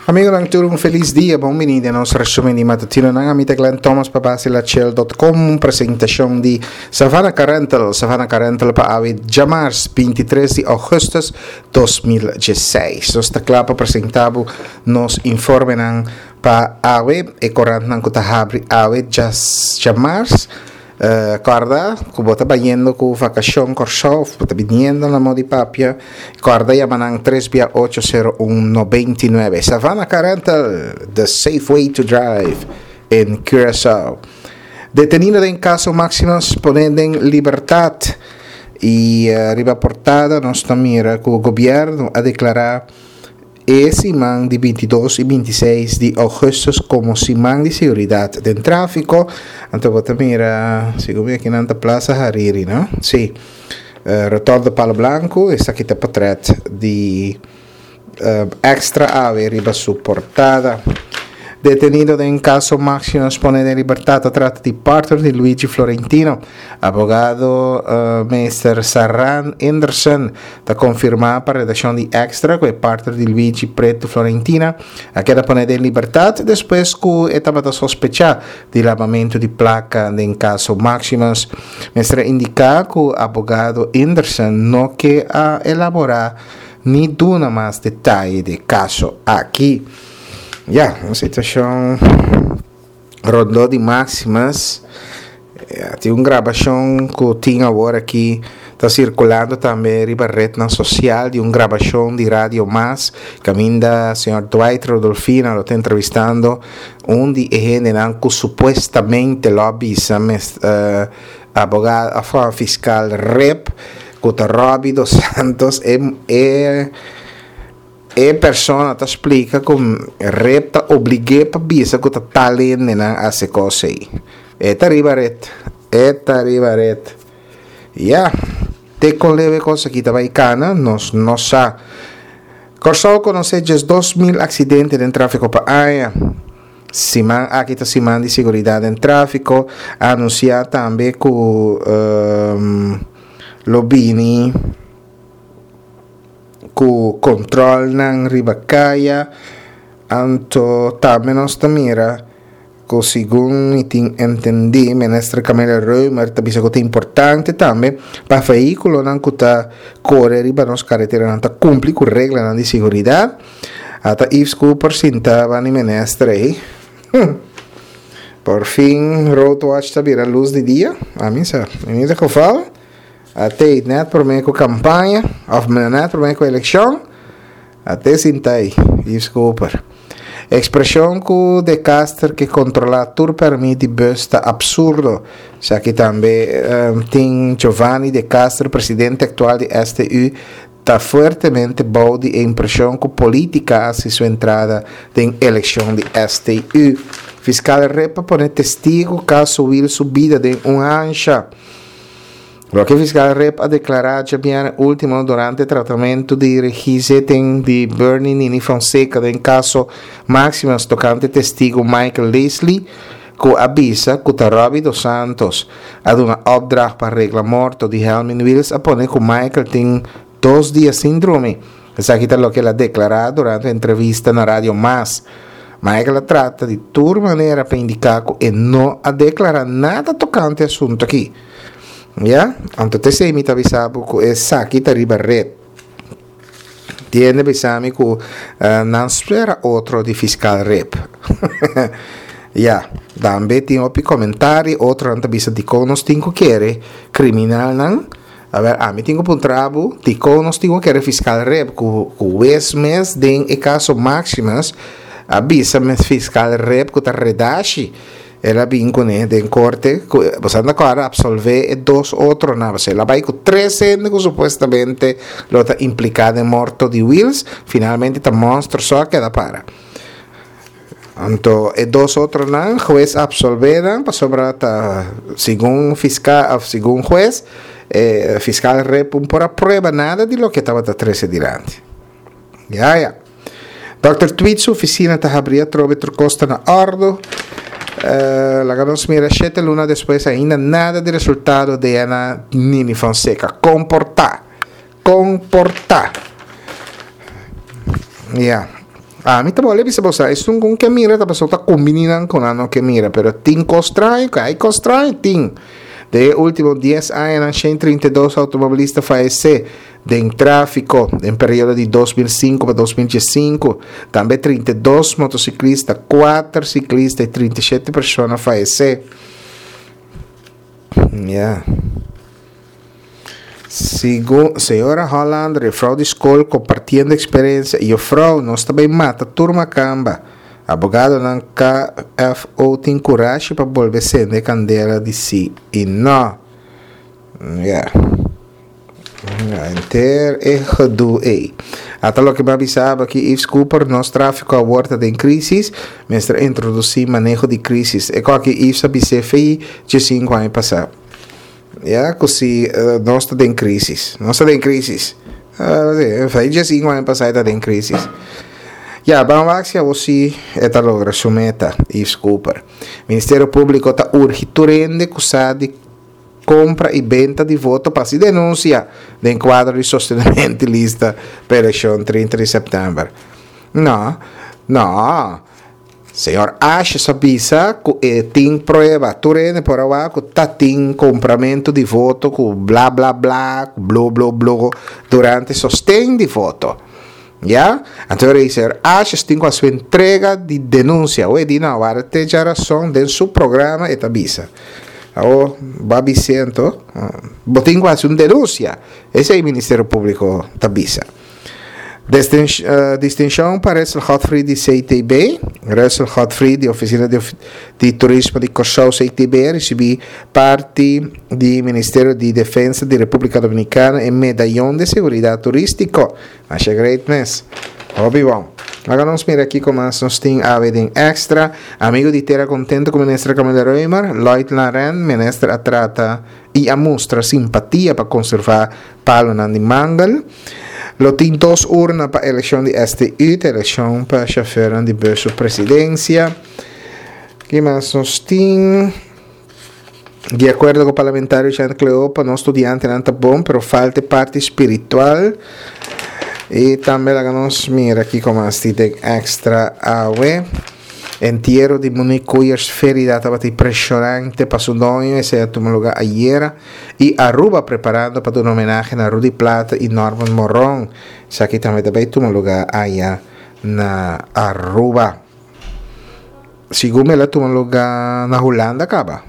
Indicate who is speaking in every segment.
Speaker 1: Amigonan tur un felis dia, bon bini den nos resumen di matutinonan. Ami ta Glenn Thomas pa Basilachel.com, un presentacion di Savannah Car Rental, Savannah Car Rental pa awe djamars 23 di augustus 2016. Nos ta kla pa presenta bo nos informenan pa awe, e korantnan ku ta habri awe djamars. Kòrda ku bo ta bayendo ku vakashon Kòrsou òf bo ta biniendo na Modi Papia, kòrda yama nan tres bia ocho sero un nobenta i nuebe. Savannah Car Rental, the safe way to drive in Curaçao. Detenido den kaso Maximus pone den libertat i riba portada nos ta mira ku gobièrnu a deklará E siman di bintidos i bintiseis di ougùstùs komo siman di siguridat den tráfiko. Anto bo ta mira, segun mi akinan ta Plaza Hariri, no? Sí. Rotònde Palo Blanku, esaki ta potrèt di Extra awe riba su portada. Detenido den kaso Maximus pone den libertat ta trata di partner di Luigi Florentino. Abogado meester Saran Inderson Ta konfirmá pa redakshon di Extra ku e partner di Luigi Pretu Florentina a keda pone den libertat despues ku e tabata sospechá di labamentu di plaka den kaso Maximus. Mester a indiká ku abogado Inderson no ke a elaborá ni duna mas detaye di e kaso aki. Ya, un situashon. Rondó di Maximus tin un grabashon ku tin awor aki ta sirkulando tambe riba retnan sosial di un grabashon di Radio Mas kaminda señor Dwight Rodolfina lo ta entrevistando un di e hendenan ku supuestamente lo a bisa abogado òf fiskal Rip ku ta Robby dos Santos e e. E persona ta splika ku ret ta oblig'é pa bisa ku ta tal hendenan a hasi kos ei. E ta riba ret. E ta riba ret. Ya, te kon leu e kos aki ta bai kana, nos no sa. Kòrsou konosé 12.000 aksidente den tráfiko pa aña. Siman aki ta siman di siguridat den tráfiko. A anunsiá tambe ku lo bini. Ku kontrolnan riba kaya, anto tambe nos ta mira ku segun mi tin entendí Minister Camelia Römer ta bisa ku ta importante tambe pa vehíkulonan ku ta kore riba nos kareteranan ta kumpli ku reglanan di siguridat. Ata Yves Cooper sinta bani minister ei. Por fin Roadwatch ta bira lus di dia, ami sa, in ieder geval. A tei net prome ku kampaña òf net prome ku elekshon, a te sinta ei, Yves Cooper. Ekspreshon ku De Caster ke kontrolá tur pèrmit di bùs ta apsurdo. Esaki tambe tin Giovanni De Caster, presidente aktual di STU, ta fuertemente bou di e impreshon ku polítika a hasi su entrada den elekshon di STU. Fiskal Rip a pone testigu kaso Wiel su bida den un hansha. Loke Fiskal Rip a deklará djabièrnè último durante tratamentu di regizetting di Bernie Nini Fonseca den kaso Maximus tokante testigu Michael Leslie ku a bisa ku ta Robbie Dos Santos a duna opdracht pa regla morto di Helmin Wiels a pone ku Michael tin dos dia sin drumi. Esaki ta loke el a deklará durante un entrevista na Radio Mas. Michael a trata di tur manera pa indiká ku e no a deklará nada tokante e asuntu aki. Ya, anto te esei mi ta bisa bo ku esaki ta riba red. Tiende bisa mi ku nan spera otro di fiskal rip. Ya, tambe tin hopi komentario, otronan ta bisa dikon nos tin ku kere kriminalnan. Awer, ami tin ku puntra bo dikon nos tin ku kere fiskal rip ku ku wes mes den e kaso Maximus a bisa mes fiskal rip ku ta redashi. El a bin kuné den korte ku boso anda kòrda apsolvé e dos otronan. Pasobra el a bai ku tres hende ku supuestamente lo ta impliká den morto di Wiels. Finalmente ta Monster so a keda para. Anto e dos otronan hues a apsolvé nan pasobra ta segun fiskal òf segun hues e fiskal Rep un por a prueba nada di loke tabata trese dilanti. Ya ya. Dòkter Tweed su oficina ta habri atrobe tur cos ta na ordo. Laga nos mira shete luna despues ainda nada di resultado DNA Nini Fonseca. Con por ta? Con por ta? Ya. Ami ta bole bisa boso, esun ku ke mira ta pasobra ta kumbiní nan ku nan no ke mira, pero tin kos straño, ku hay kos straño tin. Den e último dies añanan 132 outomobilista fayesé den tráfiko den periodo di 2005 pa 2015. Tambe 32 motosiklista, 4 siklista i 37 persona fayesé. Ya. Segun señora Hollander, juffrouw di skol kompartiendo eksperensia, Juffrouw, nos ta bai mata tur makamba. Abogadonan KFO tin kurashi pa bolbe sende e kandela di si i no. Ya. Henter e gedoe ei. Ata loke mi a bisa abo aki, Yves Cooper, nos tráfiko awor ta den krísis, mester introdusí maneho di krísis. E kòki Yves a bis'é fei djesinku aña pasá. Ya ku si nos ta den krísis. Nos ta den krísis. Fei djesinku aña pasá e ta den krísis. Ya, ban wak si awor si e ta logra su meta, Yves Cooper. Ministerio Públiko ta urgi tur hende ku sa di Compra y benta di voto pa haci denuncia den cuadro di sostenimento di lista pa eleccion 30 di september. No, no. Señor Asjes a bisa cu e tin prueba. Tur hende por a wak cu ta tin compramento di voto cu bla bla bla, cu blo blo blo durante sosten di voto. Ya? Anto e señor Asjes tin cu haci un entrega di denuncia. Oe di no, wara te djarason den su programa e ta bisa. Awor, bo a bis'é anto, bo tin ku hasi un denunsia. Esei Ministerio Públiko ta bisa. Distinshon pa Russell Godfrey di CTB. Russell Godfrey di Ofisina di Turismo di Kòrsou, CTB, a risibí parti di Ministerio di Defensa di Repúblika Dominikana e Medayon de Seguridat Turístiko. Masha great mes. Hopi bon. Laga nos mira kiko mas nos tin awe den extra. Amigo di tera contento cu Minister Camila Römer, Lloyd Laren, Minister a trata y a mustra simpatia pa conserva palonan di mangel. Lo tin dos urna pa eleccion di STU, ta eleccion pa chauffeurnan di bus su presidencia. Ki mas nos tin? Di akuerdo ku parlamentario Jean Cleopa, nos studiantenan ta bon, pero falta e parti spiritual. I tambe laga nos mira kiko mas tin den extra awe. Entiero di Monique Koeyers Ferida tabata impresionante pa su doño, esei a tuma luga ayera. I Aruba preparando pa duna homenahe na Rudy Plata i Norman Moron. Esaki tambe ta bai tuma luga aya na Aruba. Segun el a tuma luga na Hulanda kaba.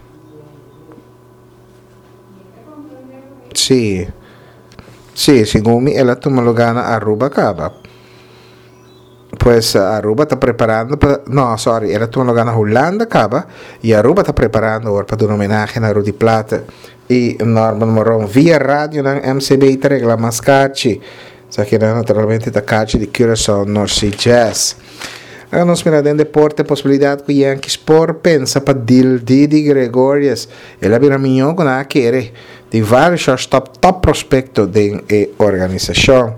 Speaker 1: Sí. Sí, segun mi el a tuma luga na Aruba kaba. Pues Aruba ta preparando pa, no, sorry, el a tuma luga na Hulanda kaba y Aruba ta preparando awor pa duna homenahe na Rudy Plaate y Norman Moron. Via radionan MCB ta regla mas kachi. Esakinan naturalmente ta kachi di Curaçao North Sea Jazz. Laga nos mira den deporte posibilidad cu Yankees por pensa pa deal Didi Gregorius. El a bira miñó cu nan a kere. Tin varios shortstop top prospecto den e organisacion.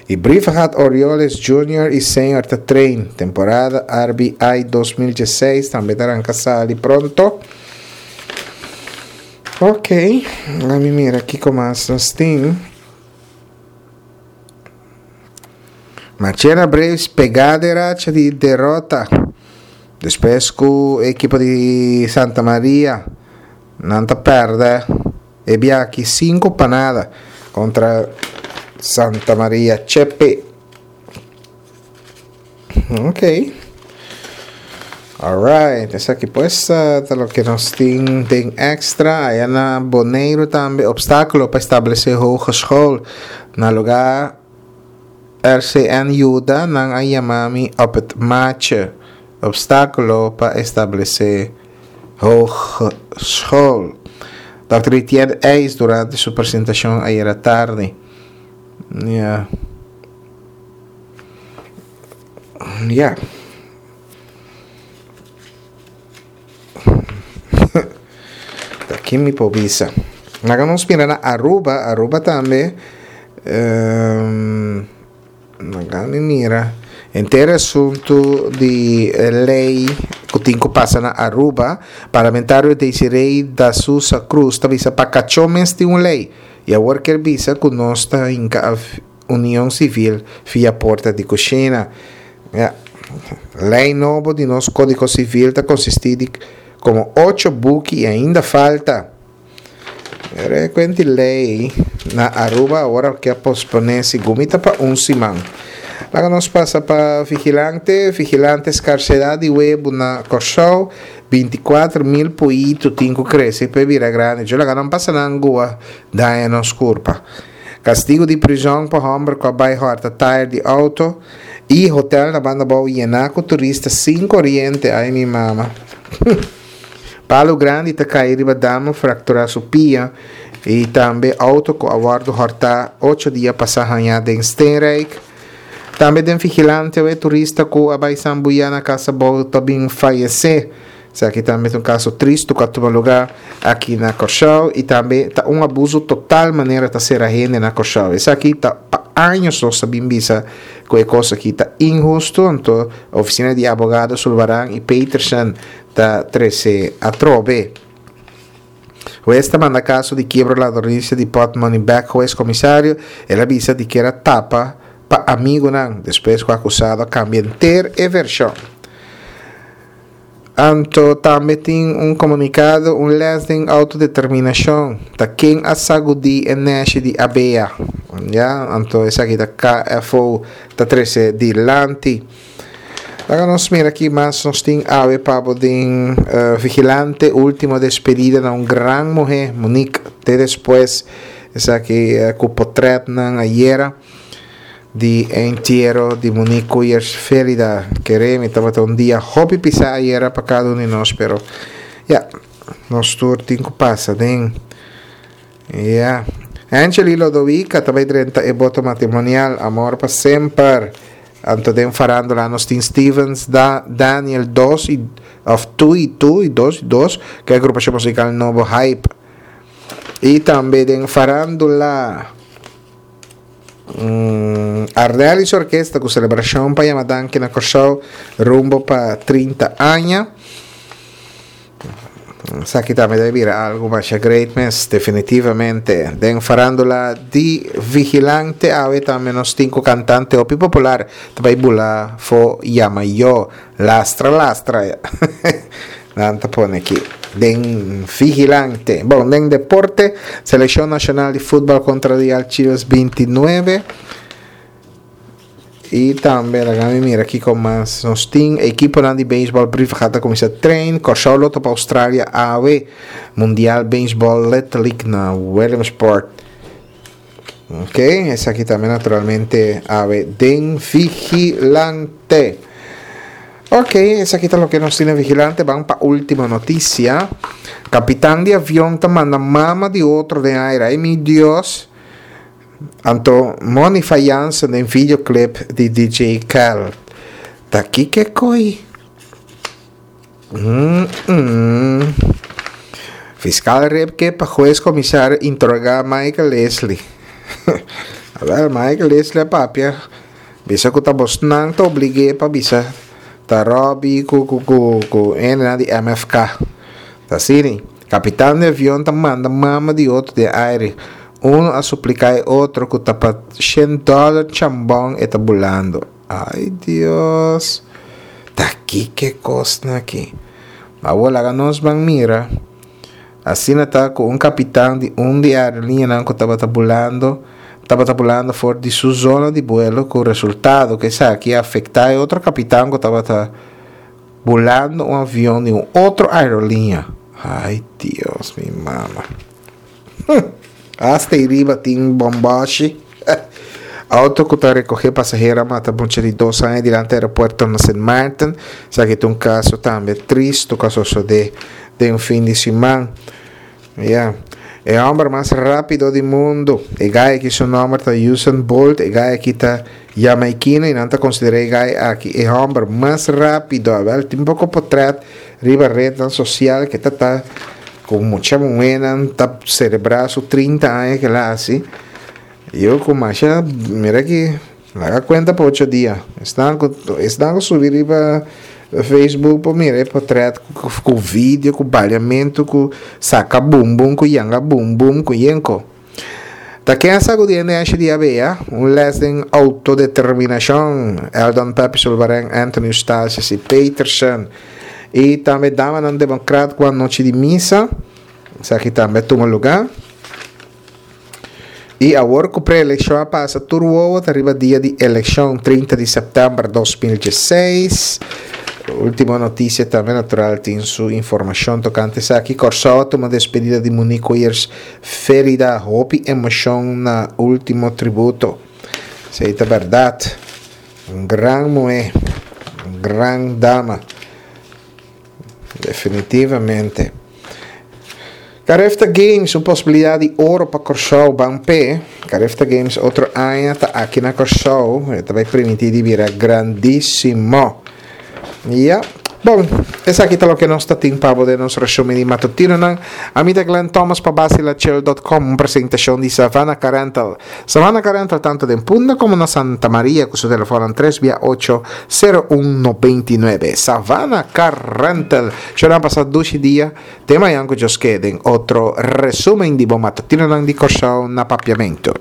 Speaker 1: Y Brievengat Orioles Junior y Senior ta train. Temporada RBI 2016 tambe ta ranca sali pronto. Ok, laga mi mira kico mas nos tin. Marchena Braves pegá den racha di derota despues ku e ekipo di Santa Maria nan ta pèrdè e biaha sinku pa nada kontra Santa Maria Chepe. Ok. Alright, esaki pues ta loke nos tin den extra. Aya na Boneiru tambe obstáculo pa establece hogeschool. Na lugar RCN yuda, nan a yama mi op het matje. Obstáculo pa establece hogeschool. Dòkter Etienne Eis durante su presentacion ayera tardi. Ja. Ya. Ta kin mi por bisa. Laga nos mira na Aruba. Aruba tambe. Um, laga mi mira. Henter asuntu di ley ku tin ku pasa na Aruba. Parlamentario Desiree da Sousa Cruz ta bisa pa kachó mes tin un ley. I awor kier bisa ku nos ta hinka Union Civil via porta di cushina. Ya. Lei nobo di nos Kódigo Sivil ta konsistí di komo ocho buki i ainda falta. Rekuenti lei na Aruba awor ke a posponé segun mi ta pa un siman. Laga nos pasa pa Vigilante. Vigilante skarsedat di webu na Kòrsou, 24,000 poitu tin ku krese pa e bira grandi. Djo laga nan pasa nan gua daña nos kurpa. Kastigu di prizòn pa hòmber ku a bai hòrta tayer di outo i hotèl na Banda Bou yená ku turista sin koriente. Ai mi mama. Palu grandi ta kai riba dama frakturá su pia i tambe outo ku a wòrdu hòrtá ocho dia pasá hañá den Steenrijk. Tambe den Vigilante awe turista ku a bai sambuyá na Casa Bou ta bin fayesé. Esaki tambe ta un kaso tristu ku a tuma lugá aki na Kòrsou i tambe ta un abuso total manera ta sera hende na Kòrsou. Esaki ta pa años nos ta bin bisa ku e kos aki ta inhustu, anto ofisina di abogado Sulvaran i Peterson ta trese atrobe. Hues ta manda kaso di kiebro ladronisia di pòtmòni bèk hues komisario, el a bisa di kier a tapa pa amigunan despues ku akusado a kambia henter e vershon. Anto tambe tin un komunikado, un lès den outodeterminashon, ta ken a sagudí e nèshi di abea? Ya, anto esaki ta KFO ta trese dilanti. Laga nos mira ki mas nos tin awe pa bo den Vigilante, Ultimo despedida na un gran muhé, Monique, te despues. Esaki ku potretnan ayera di e entiero di Monique Koeyers Felida. Kere mi tabata un dia hopi pisá ayera pa kada un di nos, pero ya, nos tur tin ku pasa den. Ya. Angely Lodowica ta bay drenta e boto matrimonial, amor pa semper. Anto den farandula nos tin Stevens, Da, Daniel dos y of tu y tu y dos y dos, ku e agrupacion musical nobo Hype. Y tambe den farandula mm, Arnel y su orkesta ku celebracion pa yama danki na Kòrsou rumbo pa 30 aña. Esaki tambe debe bira algo masha great mes, definitivamente. Den farandula di Vigilante awe tambe nos tin ku kantante hopi popular ta bai bula fo yama yo. Lastra lastra nan ta pone aki den Vigilante. Bon, den deporte, selekshon nashonal di futbal kontra Real Chivas 29. Y tambe laga mi mira kiko mas nos tin. Ekiponan di beisbòl Brievengat ta kuminsá train. Kòrsou lo topa Australia awe. Mundial Beisbòl Little League na Williamsport. Ok, esaki tambe naturalmente awe den Vigilante. Ok, esaki ta loke nos tin den Vigilante. Ban pa último noticia. Kapitan di avion ta manda mama di otro den aire. Ay mi Dios. Anto Monifa Jansen den videoclip di DJ Khaled. Ta kiko e koi? Mm-mm. Fiscal Rip ke pa hues comisario interroga Michael Leslie. Awel, Michael Leslie a papia. Bisa ku ta bosnan ta oblig'é pa bisa ta Robbie ku ku ku ku hendenan di MFK. Ta asina. Kapitan di avion ta manda mama di otro den aire. Uno a supliká e otro ku ta pa shen dòler chambòn e ta bulando. Ai Dios! Ta kiko e kosnan aki? Awor laga nos ban mira. Asina ta ku un kapitan di un di e aerolinianan ku tabata bulando tabata bulando for di su zona di buelo ku resultado ku esaki a afektá e otro kapitan ku tabata bulando un avion di un otro aerolinia. Ay Dios mi mama. Hasta ei riba tin bombashi. Auto ku ta rekohé pasahero a mata mucha di dos aña dilanti aeropuerto na Sint Maarten. Esaki ta un kaso tambe tristu ku a sosodé den fin di siman. Ya. E hòmber mas rápido di mundu. E gai aki su nòmber ta Usain Bolt. E gai aki ta jamaikino i nan ta konsiderá e gai aki e hòmber mas rápido. Awèl tin poko potrèt riba retnan sosial ke ta ta ku mucha muhénan ta selebrá su 30 aña ke el a hasi. Yo ku masha mira ki laga kuenta pa ocho dia. Esnan ku esnan ku subi riba Facebook por mira e potret ku video ku baliamentu ku saka bumbum ku yanga bumbum ku yenko. Ta ken a sagudi e neshi di Abea? Un les den autodeterminashon. Eldon Pepe Sulvaren, Anthony Eustatius y Peterson. Y tambe damanan demokrat ku anochi di misa. Esaki tambe a tuma lugá. Y awor cu pre-eleccion a pasa tur wowo ta riba dia di eleccion 30 di september 2016. Ultimo Noticia tambe natural tin su informacion tocante esaki. Corsou a tuma despedida di Monique Weyers Ferida hopi emocion na ultimo tributo. Esey ta berdad. Un gran muhe, un gran dama. Definitivamente. Carifta Games, un posibilidad di oro pa Corsou ban p'e. Carifta Games otro aña ta aki na Corsou. E ta bai primiti di bira grandísimo. Ya. Bon, esaki ta loke nos ta tin pa bo den nos resumen di matutinonan. Ami ta Glenn Thomas pa Basilachel.com, un presentacion di Savannah Car Rental. Savannah Car Rental tanto den Punda como na Santa Maria cu su telefonnan tres bia ocho sero un 99. Savannah Car Rental. Shonan pasa dushi dia. Te mañan cu Dios ke den otro resumen di bo matutinonan di Corsou na Papiamento.